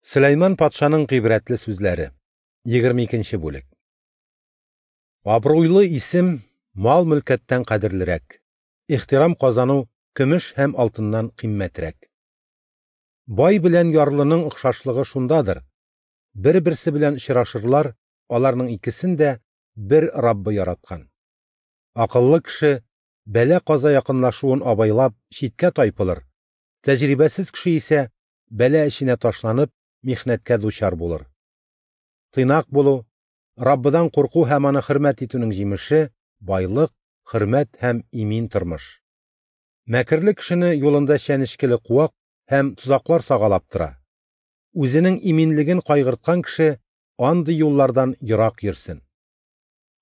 Сөләйман патшаның гыйбрәтле сүзләре. 22 бүлек. Абруйлы исем мал-мөлкәттән кадерлерәк. Ихтирам казану көмеш һәм алтыннан кыйммәтрәк. Бай белән ярлының охшашлыгы шундадыр: бер-берсе белән очрашырлар, аларның икесен дә бер Раббы яраткан. Акыллы кеше бәла-каза якынлашуын абайлап читкә тайпылыр, тәҗрибәсез кеше исә бәла эченә ташланып, михнәткә дучар булыр. Тыйнак булу, Раббыдан курку һәм аны хөрмәт итүнең җимеше – байлык, хөрмәт һәм имин тормыш. Мәкерле кешене юлында чәнечкеле куак һәм тозаклар сагалап тора. Үзенең иминлеген кайгырткан кеше андый юллардан ерак йөрсен.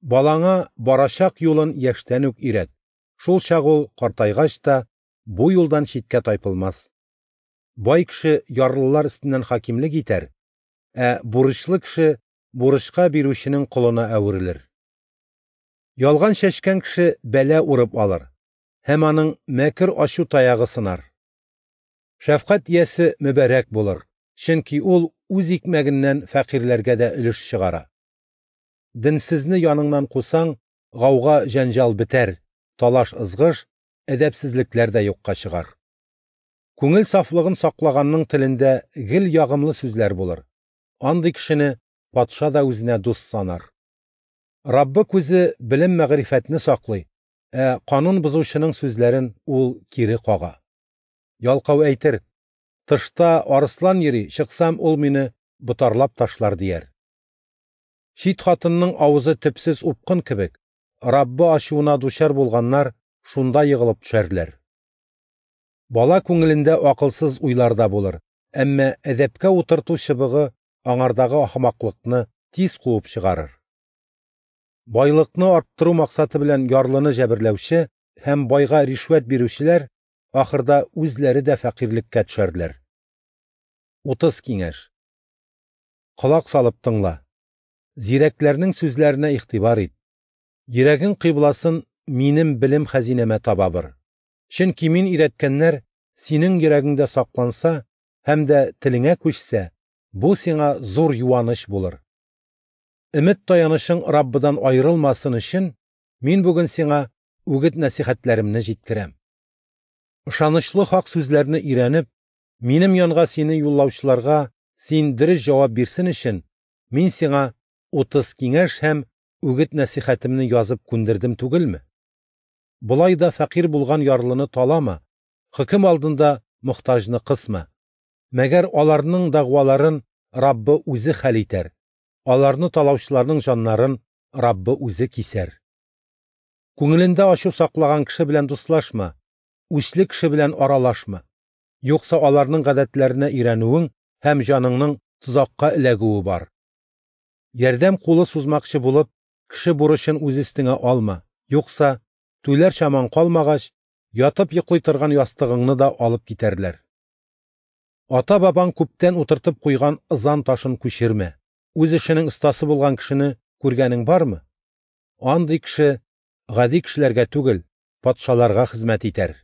Балаңа барачак юлын яшьтән үк өйрәт, шул чак ул картайгач та бу юлдан читкә тайпылмас. Бай кеше ярлылар өстеннән хакимлек итәр, ә бурычлы кеше бурычка бирүченең колына әверелер. Ялган чәчкән кеше бәла урып алыр, һәм аның мәкер ачу таягы сынар. Шәфкать иясе мөбарәк булыр, чөнки ул үз икмәгеннән фәкыйрьләргә дә өлеш чыгара. Денсезне яныңнан кусаң, гауга җәнҗал бетәр, талаш-ызгыш, әдәпсезлекләр дә юкка чыгар. Күңел сафлыгын саклаганның телендә гел ягымлы сүзләр булыр. Андый кешене патша да үзенә дус санар. Раббы күзе белем-мәгърифәтне саклый, ә канун бозучының сүзләрен ул кире кага. Ялкау әйтер: "Тышта арыслан йөри, чыксам, ул мине ботарлап ташлар", дияр. Чит хатынның авызы төпсез упкын кебек, Раббы ачуына дучар булганнар шунда егылып төшәрләр. Бала күңелендә акылсыз уйлар да булыр, әмма әдәпкә утырту чыбыгы аңардагы ахмаклыкны тиз куып чыгарыр. Байлыкны арттыру максаты белән ярлыны җәберләүче һәм байга ришвәт бирүчеләр ахырда үзләре дә фәкыйрьлеккә төшәрләр. 30 киңәш. Колак салып тыңла. Зирәкләрнең сүзләренә игътибар ит. Йөрәгең кыйбласын минем белем хәзинәмә таба бир. Чөнки мин өйрәткәннәр синең йөрәгеңдә сакланса һәм дә телеңә күчсә, бу сиңа зур юаныч булыр. Өмет таянышың Раббыдан аерылмасын өчен, мин бүген сиңа үгет-нәсихәтләремне җиткерәм. Ышанычлы хак сүзләрне өйрәнеп, минем янга сине юллаучыларга син дөрес җавап бирсен өчен, мин сиңа 30 киңәш һәм үгет-нәсихәтемне язып күндердем түгелме? Болай да фәкыйрь булган ярлыны талама, хөкем алдында мохтаҗны кысма. Мәгәр аларның дәгъваларын Раббы үзе хәл итәр. Аларны талаучыларның җаннарын Раббы үзе кисәр. Күңелендә ачу саклаган кеше белән дуслашма, үчле кеше белән аралашма. Юкса аларның гадәтләренә өйрәнүең һәм җаныңның тозакка эләгүе бар. Ярдәм кулы сузмакчы булып, кеше бурычын үз өстеңә алма. Юкса, түләр чамаң калмагач, ятып йоклый торган ястыгыңны да алып китәрләр. Ата-бабаң күптән утыртып куйган ызан ташын күчермә. Үз эшенең остасы булган кешене күргәнең бармы? Андый кеше гади кешеләргә түгел, патшаларга хезмәт итәр.